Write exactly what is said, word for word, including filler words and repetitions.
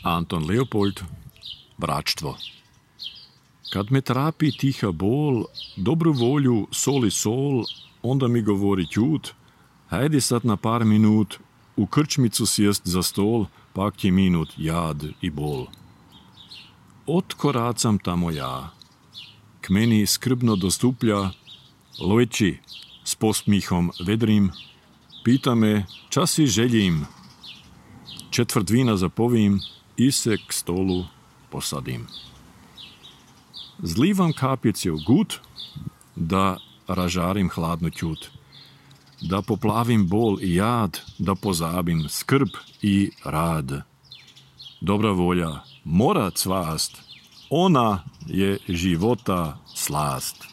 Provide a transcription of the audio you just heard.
Anton Leopold, vračstvo. Kad me trapi tiha bol, dobru volju, sol i sol, onda mi govori ćut, hajde sad na par minut, u krčmicu sjest za stol, pak je minut jad i bol. Otkoracam tamo ja, k meni skrbno dostuplja, lojči, s posmihom vedrim, pita me, čas si željim. Četvrt vina zapovim i se k stolu posadim. Zlivam kapljice u gut, da ražarim hladno ćut, da poplavim bol i jad, da pozabim skrb i rad. Dobra volja mora cvast, ona je života slast.